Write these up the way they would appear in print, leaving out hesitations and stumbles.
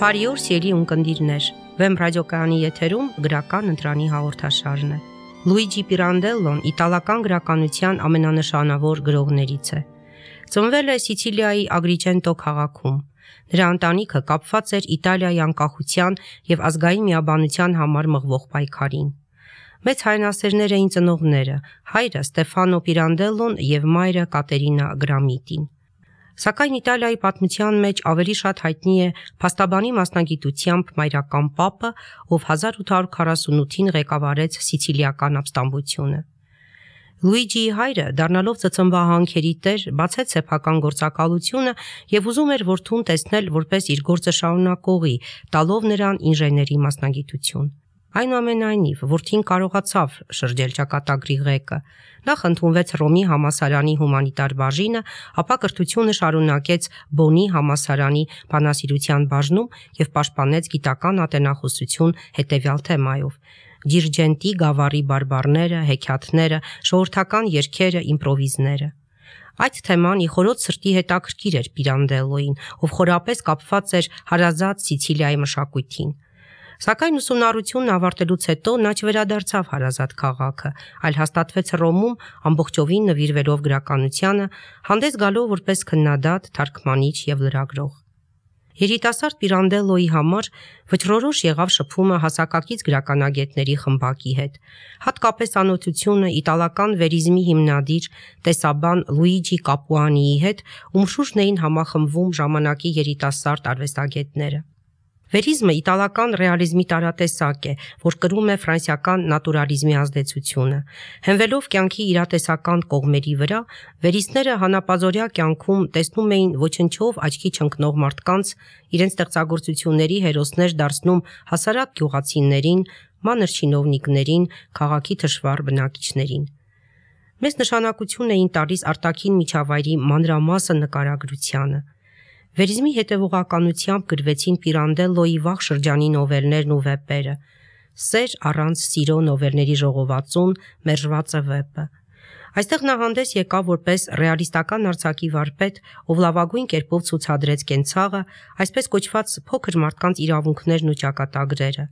Բարի օր, սիրելի ունկնդիրներ։ Վեմ ռադիոկայանի եթերում գրական ընտրանի հաղորդաշարն է։ Լուիջի Պիրանդելլոն իտալական գրականության ամենանշանավոր գրողներից է։ Ծնվել է Սիցիլիայի Ագրիջենտո քաղաքում։ Նրա ընտանիքը կապված էր Իտալիայի անկախության եւ ազգային միաբանության համար մղվող պայքարին։ Մեծ հայրենասերներ էին ծնողները՝ հայրը Ստեֆանո Պիրանդելլոն եւ մայրը Կատերինա Գրամիտին։ Սակայն Իտալիայի պատմության մեջ ավելի շատ հայտնի է փաստաբանի մասնագիտությամբ մայրական պապը, ով 1848-ին ղեկավարեց սիցիլիական ապստամբությունը։ Լուիջիի հայրը, դառնալով ծծմբահանքերի տեր, բացեց սեփական գործակալությունը եւ ուզում էր որդուն տեսնել որպես իր գործը շարունակողի, տալով նրան ինժեների մասնագիտություն։ Այնուամենայնիվ, որդին կարողացավ շրջել ճակատագրի ղեկը։ Նախ ընդունվեց Ռոմի համալսարանի հումանիտար բաժինը, ապա կրթությունը շարունակեց Բոնի համալսարանի բանասիրության բաժնում եւ պաշտպանեց գիտական ատենախոսություն հետեւյալ թեմայով. Դիրջենտի գավառի բարբառները, հեքիաթները, ժողովրդական երգերը, իմպրովիզները։ Այդ թեման ի խորոց սրտի հետաքրքիր էր Պիրանդելլոյին, ով խորապես կապված էր հարազատ Սիցիլիայի մշակույթին։ Սակայն ուսումնառությունն ավարտելուց հետո նա չվերադարձավ հարազատ քաղաքը, այլ հաստատվեց Ռոմում ամբողջովին նվիրվելով գրականությանը, հանդես գալով որպես քննադատ, թարգմանիչ եւ լրագրող։ Երիտասարդ Պիրանդելլոյի համար վճռորոշ եղավ շփումը հասակակից գրականագետների խմբակի հետ, հատկապես ծանոթությունը իտալական վերիզմի հիմնադիր տեսաբան Լուիջի Կապուանիի հետ, ում շուրջն էին համախմբվում ժամանակի երիտասարդ արվեստագետները։ Վերիզմը իտալական ռեալիզմի տարատեսակ է, որ կրում է ֆրանսիական նատուրալիզմի ազդեցությունը։ Հենվելով կյանքի իրատեսական կողմերի վրա, վերիստները հանապազօրյա կյանքում տեսնում էին ոչնչով աչքի չընկնող մարդկանց, իրենց ստեղծագործությունների հերոսներ դարձնում հասարակ գյուղացիներին, մանր չինովնիկներին, քաղաքի թշվառ բնակիչներին։ Մեծ նշանակություն էին տալիս արտաքին միջավայրի մանրամասն նկարագրությանը։ Վերիզմի հետևողականությամբ գրվեցին Պիրանդելլոյի վաղ շրջանի նովելներն ու վեպերը՝ Սեր առանց սիրո նովելների ժողովածուն, Մերժվածը վեպը։ Այստեղ նա հանդես եկավ որպես ռեալիստական արձակի վարպետ, ով լավագույն կերպով ցուցադրեց կենցաղը, այսպես կոչված փոքր մարդկանց իրավունքներն ու ճակատագրերը։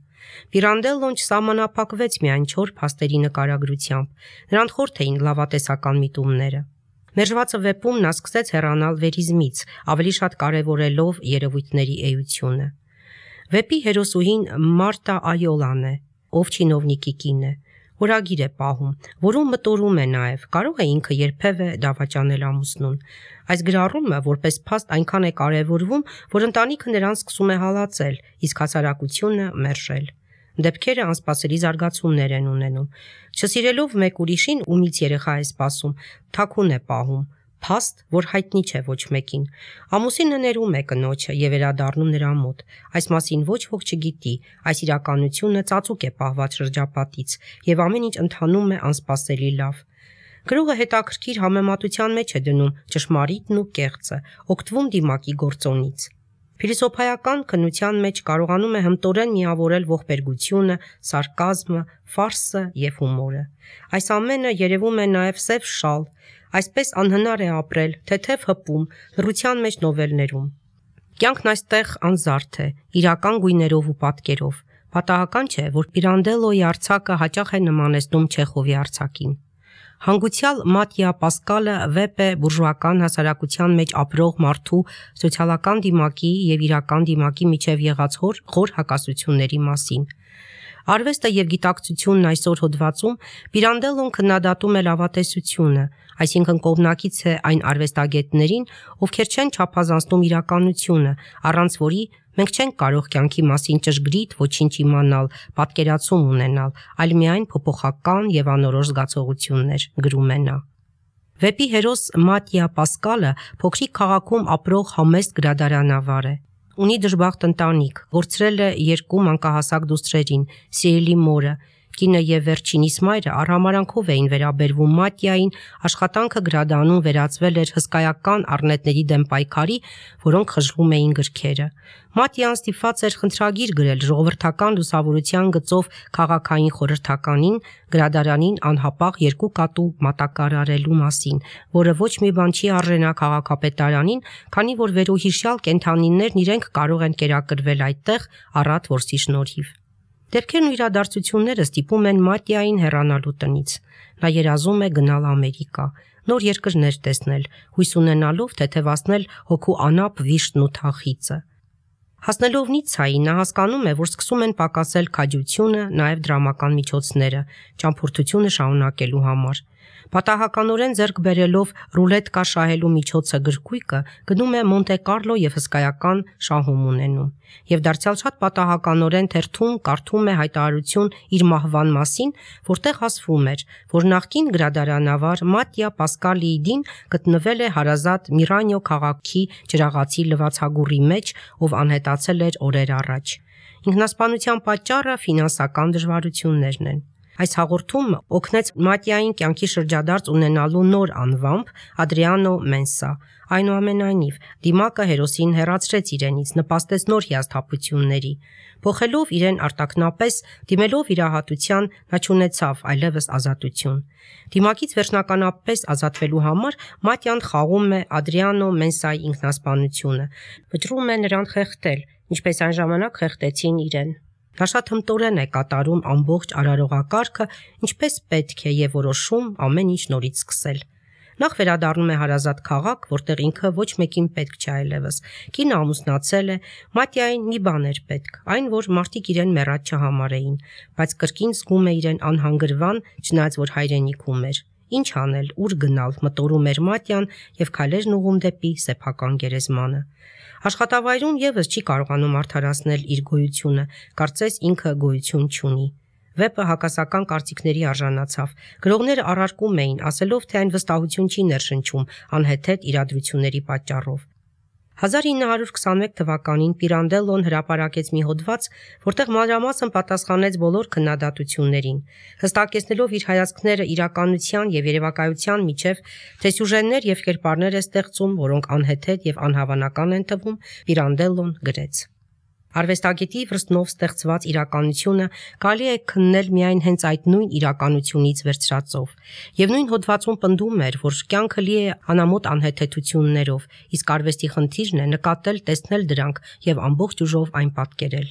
Պիրանդելլոն չսահմանափակվեց միայն չոր փաստերի նկարագրությամբ, նրան խորթ էին լավատեսական միտումները։ Մերժվածը վեպում նա սկսեց հեռանալ վերիզմից, ավելի շատ կարևորելով երևույթների էությունը։ Վեպի հերոսուհին Մարտա Այոլան է, ով չինովնիկի կին է, օրագիր է պահում, որում մտորում է նաև, կարող է ինքը երբևէ դավաճանել ամուսնուն։ Այս գրառումը որպես փաստ այնքան է կարևորվում, որ ընտանիքը նրան սկսում է հալածել, իսկ հասարակությունը մերժել։ Դեպքերը անսպասելի զարգացումներ են ունենում։ Չսիրելով մեկ ուրիշին, ումից երեխա է սպասում, թաքուն է պահում, փաստ, որ հայտնի չէ ոչ մեկին։ Ամուսինը ներում է կնոջը եւ վերադառնում նրա մոտ։ Այս մասին ոչ ոք չգիտի, այս իրականությունը ծածուկ է պահված շրջապատից եւ ամեն ինչ ընթանում է անսպասելի լավ։ Գրողը հետաքրքիր համեմատության մեջ է դնում ճշմարիտն ու կեղծը, օգտվում դիմակի գործոնից։ Փիլիսոփայական քննության մեջ կարողանում է հմտորեն միավորել ողբերգությունը, սարկազմը, ֆարսը եւ հումորը։ Այս ամենը երևում է նաեւ սև շալ, այսպես անհնար է ապրել, թեթև հպում, լռության մեջ նովելներում։ Կյանքն այստեղ անզարդ է, իրական գույներով ու պատկերով։ Պատահական չէ, որ Պիրանդելլոյի արձակը հաճախ է նմանեցնում Չեխովի արձակին։ Հանգուցյալ Մատիա Պասկալը վեպ է բուրժուական հասարակության մեջ ապրող մարդու սոցիալական դիմակի եւ իրական դիմակի միջև եղած խոր հակասությունների մասին։ Արվեստը եւ գիտակցությունն այսօր հոդվածում Պիրանդելլոն քննադատում է լավատեսությունը, այսինքն կողմնակից է այն արվեստագետներին, ովքեր չեն չափազանցնում իրականությունը, առանց որի մենք չենք կարող կյանքի մասին ճշգրիտ ոչինչ իմանալ, պատկերացում ունենալ, այլ միայն փոփոխական եւ անորոշ զգացողություններ, գրում է նա։ Վեպի հերոս Մատիա Պասկալը փոքրիկ քաղաքում ապրող համեստ գրադարանավար է։ Ունի դժբախտ ընտանիք, կորցրել է 2 մանկահասակ դուստրերին, սիրելի մորը, Կինը եւ վերջինիս մայրը արհամարանքով էին վերաբերվում Մատիային, աշխատանքը գրադանում վերածվել էր հսկայական առնետների դեմ պայքարի, որոնք խժվում էին գրքերը։ Մատիան ստիպված էր խնդրագիր գրել ժողովրդական լուսավորության գծով քաղաքային խորհրդականին, գրադարանին անհապաղ 2 կատու մատակարարելու մասին, որը ոչ մի բան չի արժենա քաղաքապետարանին, քանի որ վերոհիշյալ կենդանիներն իրենք կարող են կերակրվել այդտեղ առատ որսի շնորհիվ։ Դեպքերն ու իրադարձությունները ստիպում են Մատիային հեռանալու տնից։ Նա երազում է գնալ Ամերիկա, նոր երկրներ տեսնել, հույս ունենալով թեթևացնել հոգու անապ վիշտն ու թախիծը։ Հասնելով Նիցայի, նա հասկանում է, որ սկսում են պակասել քաջությունը, նաև դրամական միջոցները, ճամփորդությունը շարունակելու համար։ Պատահականորեն ձեռք բերելով ռուլետկա շահելու միջոցը գրքույկը, գնում է Մոնտե Կարլո եւ հսկայական շահում ունենում։ Եվ դարձյալ շատ պատահականորեն թերթում կարդում է հայտարարություն իր մահվան մասին, որտեղ ասվում էր, որ նախկին գրադարանավար Մատիա Պասկալիդին գտնվել է հարազատ Միրանյո քաղաքի ջրաղացի լվացագուրի մեջ, ով անհետացել էր օրեր առաջ։ Ինքնասպանության պատճառը ֆինանսական դժվարություններն են։ Այս հաղորդումը օգնեց Մատիային կյանքի շրջադարձ ունենալու նոր անվամբ Ադրիանո Մենսա։ Այնուամենայնիվ, դիմակը հերոսին հեռացրեց իրենից, նպաստեց նոր հիասթափությունների։ Փոխելով իրեն արտաքնապես, դիմելով վիրահատության, նա չունեցավ այլևս ազատություն։ Դիմակից վերջնականապես ազատվելու համար Մատիան խաղում է Ադրիանո Մենսայի ինքնասպանությունը, վճռում է նրան խեղդել, ինչպես այն ժամանակ խեղդեցին իրեն։ Նա շատ հմտորեն է կատարում ամբողջ արարողակարգը, ինչպես պետք է եւ որոշում ամեն ինչ նորից սկսել։ Նախ վերադառնում է հարազատ քաղաք, որտեղ ինքը ոչ մեկին պետք չէ այլևս։ Կինը ամուսնացել է, Մատիային մի բան էր պետք, այն որ մարդիկ իրեն մեռած չհամարեին, բայց կրկին զգում է իրեն անհանգրվան, չնայած որ հայրենիքում էր։ Ինչ անել, ուր գնալ, մտորում էր Մատիան եւ քայլերն ուղում դեպի սեփական գերեզմանը։ Աշխատավայրում եւս չի կարողանում արդարացնել իր գոյությունը, կարծես ինքը գոյություն չունի։ Վեպը հակասական կարծիքների արժանացավ։ Գրողները առարկում էին, ասելով, թե այն վստահություն չի ներշնչում անհեթեթ իրադրությունների պատճառով։ 1921 թվականին Պիրանդելլոն հրապարակեց մի հոդված, որտեղ մանրամասն պատասխանեց բոլոր քննադատություններին, հստակեցնելով իր հայացքները իրականության եւ երևակայության միջև, թե սյուժեներ եւ կերպարներ է ստեղծում, որոնք անհեթեթ եւ անհավանական են թվում, Պիրանդելլոն գրեց. Արվեստագետի վրձնով ստեղծված իրականությունը կարելի է քննել միայն հենց այդ նույն իրականությունից վերցրածով, եւ նույն հոդվածում պնդում էր, որ կյանքը լի է անամոթ անհեթեթություններով, իսկ արվեստի խնդիրն է նկատել, տեսնել դրանք եւ ամբողջ ուժով այն պատկերել։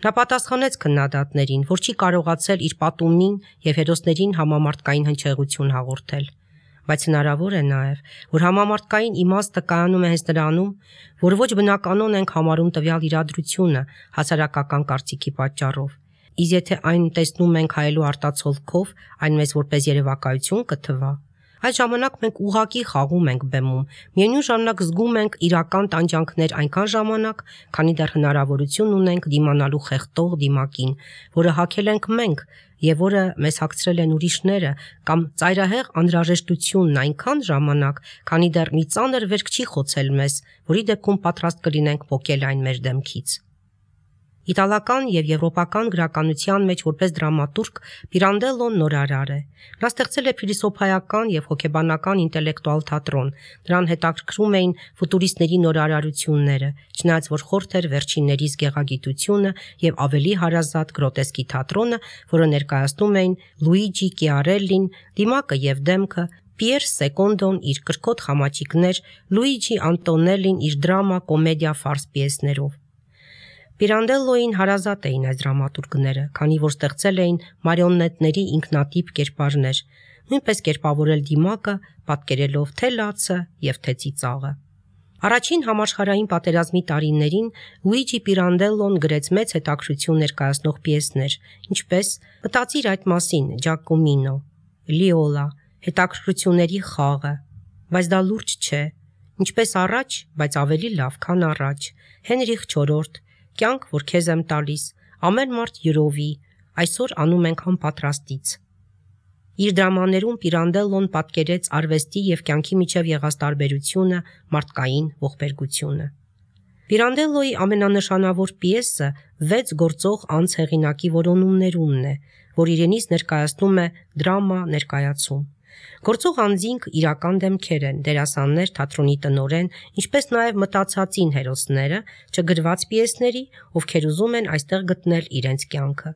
Նա պատասխանեց քննադատներին, որ չի կարողացել իր պատումին եւ հերոսներին համամարտկային հնչեղություն հաղորդել։ Բայց հնարավոր է նաև, որ համամարտկային իմաստը կայանում է հենց նրանում, որ ոչ բնականon ենք համարում տվյալ իրադրությունը հասարակական կարծիքի պատճառով։ Իսկ եթե այն տեսնում ենք հայելու արտացոլքով, այն մեզ որպես երևակայություն կթվա։ Այդ ժամանակ մենք ուղղակի խաղում ենք բեմում, միևնույն ժամանակ զգում ենք իրական տանջանքներ այնքան ժամանակ, քանի դեռ հնարավորություն ունենք դիմանալու խեղդող դիմակին, որը հագել ենք մենք եւ որը մեզ հագցրել են ուրիշները, կամ ծայրահեղ անհրաժեշտությունն այնքան ժամանակ, քանի դեռ մի ծանր վերք չի խոցել մեզ, որի դեպքում պատրաստ կլինենք փոկել այն մեր դեմքից։ Իտալական եւ եվրոպական գրականության մեջ որպես դրամատուրգ Պիրանդելլոն նորարար է։ Նա ստեղծել է փիլիսոփայական եւ հոգեբանական ինտելեկտուալ թատրոն։ Նրան հետաքրքրում էին ֆուտուրիստների նորարարությունները, չնայած որ խորթ էր վերջիններիս գեղագիտությունը եւ ավելի հարազատ գրոտեսկի թատրոնը, որը ներկայացնում էին Լուիջի Կիարելլին, դիմակը եւ դեմքը, Պիեր Սեկոնդոն իր կրկոտ խամաճիկներ, Լուիջի Անտոնելին իր դրամա, կոմեդիա, ֆարս պիեսներով։ Պիրանդելլոյին հարազատ էին այս դրամատուրգները, քանի որ ստեղծել էին մարիոնետների ինքնատիպ կերպարներ, նույնպես կերպավորել դիմակը, պատկերելով թե լացը եւ թե ծիծաղը։ Առաջին համաշխարհային պատերազմի տարիներին Լուիջի Պիրանդելլոն գրեց մեծ հետաքրքրություն ներկայացնող պիեսներ, ինչպես «Մտածիր այդ մասին» Ջակոմինո, Լիոլա, հետաքրքրությունների խաղը, բայց դա լուրջ չէ, ինչպես առաջ, բայց ավելի լավ, քան առաջ, Հենրիխ IV, Կյանք, որ քեզ եմ տալիս, ամեն մարդ յուրովի, այսօր անում ենք անպատրաստից։ Իր դրամաներում Պիրանդելլոն պատկերեց արվեստի եւ կյանքի միջև եղած տարբերությունը, մարդկային ողբերգությունը։ Պիրանդելլոյի ամենանշանավոր պիեսը 6 գործող անց հեղինակի որոնումներումն է, որ իրենից ներկայացնում է դրամա ներկայացում։ Գործող անձինք իրական դեմքեր են, դերասաններ, թատրոնի տնօրեն, ինչպես նաև մտածածին հերոսները, չգրված պիեսների, ովքեր ուզում են այստեղ գտնել իրենց կյանքը։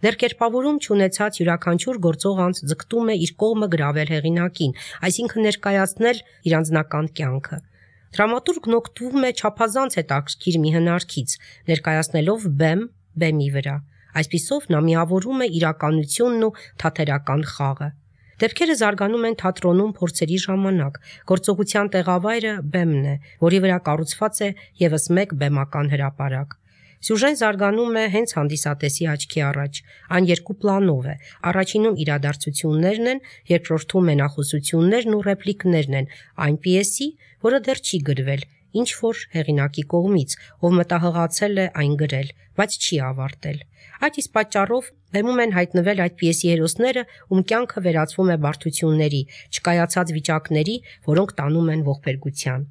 Դեռ կերպավորում չունեցած յուրաքանչյուր գործող անձ ձգտում է իր կողմը գրավել հեղինակին, այսինքն ներկայացնել իր անձնական կյանքը։ Դրամատուրգն օգտվում է չափազանց հետաքրքիր մի հնարքից, ներկայացնելով բեմ բեմի վրա։ Այսպիսով նա միավորում է իրականությունն ու թատերական խաղը։ Դեպքերը զարգանում են թատրոնում փորձերի ժամանակ, գործողության տեղավայրը բեմն է, որի վրա կառուցված է ևս մեկ բեմական հրապարակ։ Սյուժեն զարգանում է հենց հանդիսատեսի աչքի առաջ, այն երկու պլանով է, առաջինում իրադարձություններն են, երկրորդում մենախոսություններն ու ռեպլիկներն են այն պիեսի, որը դեռ չի գրվել, ինչ որ հեղինակի կողմից, ով մտահղացել է այն գրել, բայց չի ավարտել։ Այդ իսկ պատճառով բեմում են հայտնվել այդ պիեսի հերոսները, ում կյանքը վերածվում է բարդությունների, չկայացած վիճակների, որոնք տանում են ողբերգության։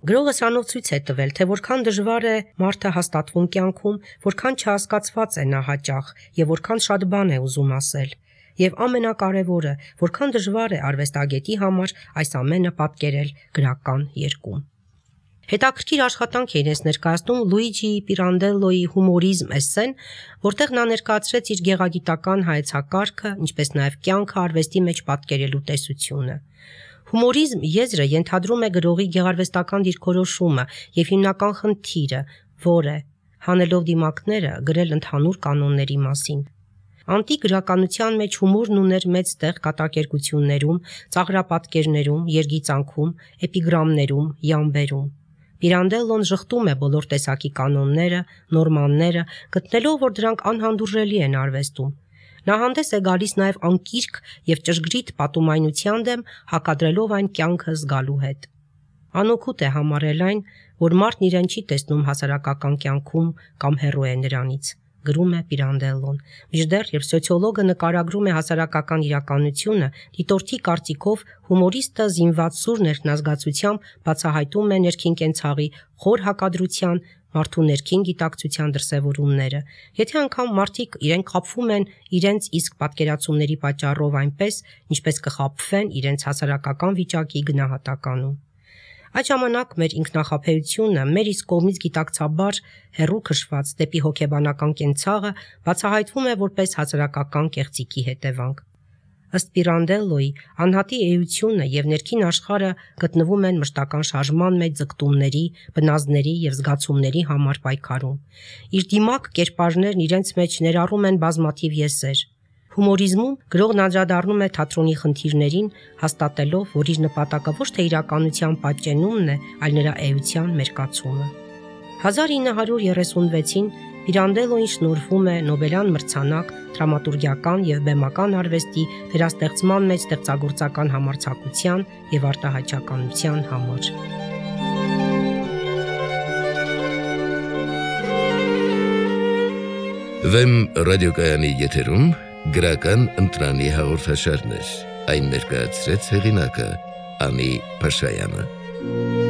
Գրողը սրանով ցույց է տվել, թե որքան դժվար է մարդը հաստատվում կյանքում, որքան չհասկացված է նա հաճախ եւ որքան շատ բան է ուզում ասել։ Եվ ամենակարևորը, որքան դժվար է արվեստագետի համար այս ամենը պատկերել գրական երկում։ Հետաքրքիր աշխատանք է իրենց ներկայացնում Լուիջի Պիրանդելլոյի հումորիզմ էսսեն, որտեղ նա ներկայացրեց իր գեղագիտական հայեցակարգը, ինչպես նաև կյանքը արվեստի մեջ պատկերելու տեսությունը։ Հումորիզմ եզրը ենթադրում է գրողի գեղարվեստական դիրքորոշումը եւ հիմնական խնդիրը, որ է, հանելով դիմակները, գրել ընդհանուր կանոնների մասին։ Անտիկ գրականության մեջ հումորն ուներ մեծ տեղ կատակերգություններում, ծաղրապատկերներում, երգիծանքում, էպիգրամներում, յամբերում։ Պիրանդելլոն ժխտում է բոլոր տեսակի կանոնները, նորմանները, գտնելով, որ դրանք անհանդուրժելի են արվեստում։ Նա հանդես է գալիս նաև անկիրք եւ ճշգրիտ պատումայնության դեմ, հակադրելով այն կյանքը զգալու հետ։ Անօգուտ է համարել այն, որ մարդն իրեն չի տեսնում հասարակական կյանքում կամ հեռու է նրանից, գրում է Պիրանդելլոն։ Մինչդեռ երբ սոցիոլոգը նկարագրում է հասարակական իրականությունը, դիտորդի կարծիքով հումորիստը զինված սուր ներքնազգացությամբ բացահայտում է ներքին կենցաղի խոր հակադրության, մարդու ներքին գիտակցության դրսևորումները։ Եթե անգամ մարդիկ իրենք խաբվում են իրենց իսկ պատկերացումների պատճառով այնպես, ինչպես կխաբվեն իրենց հասարակական վիճակի գնահատականում։ Այդ ժամանակ մեր ինքնախաբեությունը, մեր իսկ կողմից գիտակցաբար հեռու քշված դեպի հոգեբանական կենցաղը բացահայտվում է որպես հասարակական կեղծիքի հետևանք։ Ըստ Պիրանդելլոյի, անհատի էությունը եւ ներքին աշխարհը գտնվում են մշտական շարժման մեջ ձգտումների, բնազդների եւ զգացումների համար պայքարում։ Իր դիմակ կերպարներն իրենց մեջ ներառում են բազմաթիվ եսեր։ Հումորիզմում գրողն անդրադառնում է թատրոնի խնդիրներին, հաստատելով, որ իր նպատակը ոչ թե իրականության պատճենումն է, այլ նրա էության մերկացումը։ 1936-ին Պիրանդելլոյին շնորհվում է Նոբելյան մրցանակ դրամատուրգիական եւ բեմական արվեստի վերաստեղծման մեջ ստեղծագործական համարձակության եւ արտահայտչականության համար։ Վեմ ռադիոկայանի եթերում գրական ընտրանի հաղորդաշարներ, այն ներկայացրեց հեղինակը Անի Փաշայանը։